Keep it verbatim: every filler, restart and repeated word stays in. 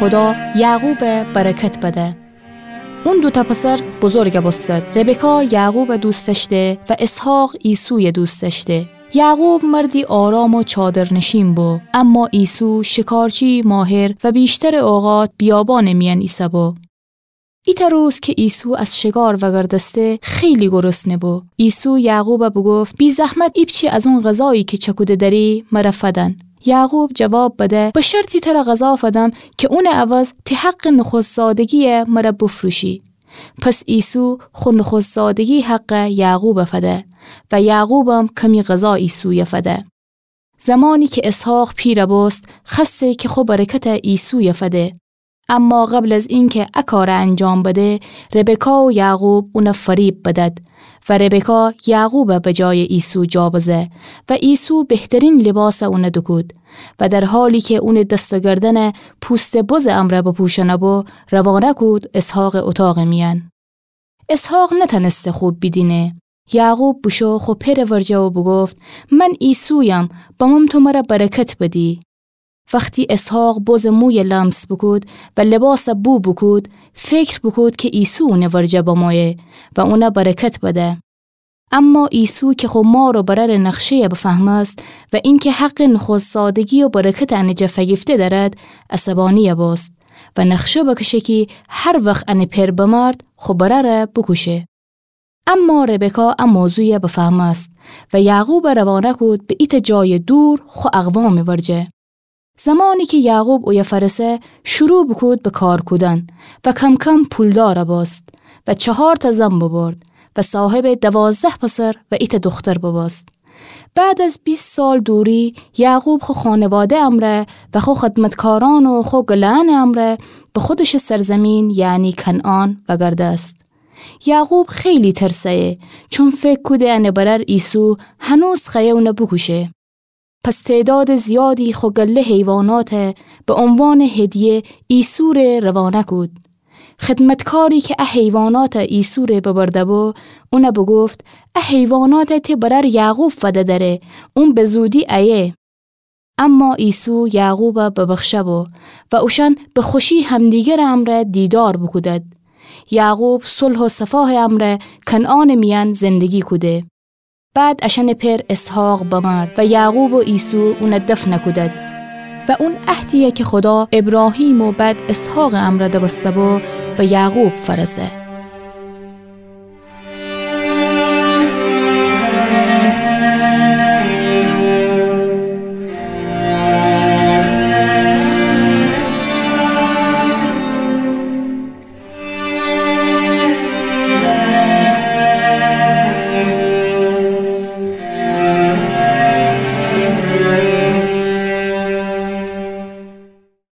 خودا یعقوب برکت بده. اون دوتأ پسر بزرگ بوستد. ربکا یعقوب دوست دأشته و اسحاق عیسوی دوست دأشته. یعقوب مردی آرام و چادرنشین بو، اما عیسو شکارچی ماهر و ویشتر اوقات بیابان میأن ایسه‌بو. ایتأ روز که عیسو از شکار وگردسته، خیلی گرسنه بو. عیسو یعقوب بوگفت: بی‌زحمت ایپچی از اون غذایی که چکوده دأری، مر فدن. یعقوب جواب بده: به شرطی تر غذا فدم که اون عوض تی حق نخست‌زادگی مر بفروشی. پس عیسو خو نخست‌زادگی حق یعقوب فده و یعقوبم کمی غذا عیسوی فده. زمانی که اسحاق پیر بوست، خوأسته که خو برکت عیسوی فده. اما قبل از اینکه ا کار انجام بده، ربکا و یعقوب اون فریب بدد و ربکا یعقوب به جای عیسو جا بزه و عیسو بهترین لباس اون دوکود و در حالی که اون دست و گردن پوست بز امرأ بپوشأنه‌بو، روانه کود اسحاق اتاق میأن. اسحاق نتأنسته خوب بیدینه. یعقوب بوشو خو پئر ورجه و بوگفت: من عیسویم، بمم تو مر برکت بدی. وختی اسحاق بز موی لمس بوکود و لباس بو بوکود، فکر بوکود که عیسو اون ورجه بمویه و اون برکت بده. اما عیسو که خو مار و برر نخشه‌ی بفهمست و اینکه حق نخست‌زادگی و برکت ان جا فگیفته دأرد، عصبانی بوست و نخشه بکشه کی هر وخت ان پئر بمرد، خو برر بوکوشه. اما ربکا ا موضوع بفهمست و یعقوب روانه کود به ایتأ جای دور خو اقوام ورجه. زمانی که یعقوب اویه فرسه، شروع بوکود به کار کودن و کم‌کم پولدار بوست و چهارتأ زن ببرد و صاحب دوازده پسر و ایتأ دختر ببوست. بعد از بیست سال دوری، یعقوب خو خانواده امرأ و خو خدمتکارأن و خو گله‌أن امرأ به خودش سرزمین، یعنی کنعان، وگردست. یعقوب خیلی ترسه‌یه، چون فکر کوده ان برر عیسو هنوز خوأیه اون بوکوشه. پس تعداد زیادی خو گله حیوانات به عنوان هدیه عیسو ره روانه کود. خدمتکاری که ا حیوانات عیسو ره ببرده‌بو، اون بوگفت: ا حیوانات تی برر یعقوب فده دره، اون به زودی ایه. اما عیسو یعقوب ببخشه‌بو و اوشأن به خوشی همدیگر امرأ دیدار بوکودد. یعقوب صلح و صفای امرأ کنعان میأن زندگی کوده. بعد اشأن پئر اسحاق بمرد و یعقوب و عیسو اون دفن کودد. و اون عهدیی که خودا ابراهیم و بعد اسحاق امرأ دوسته‌بو، به یعقوب فرسه.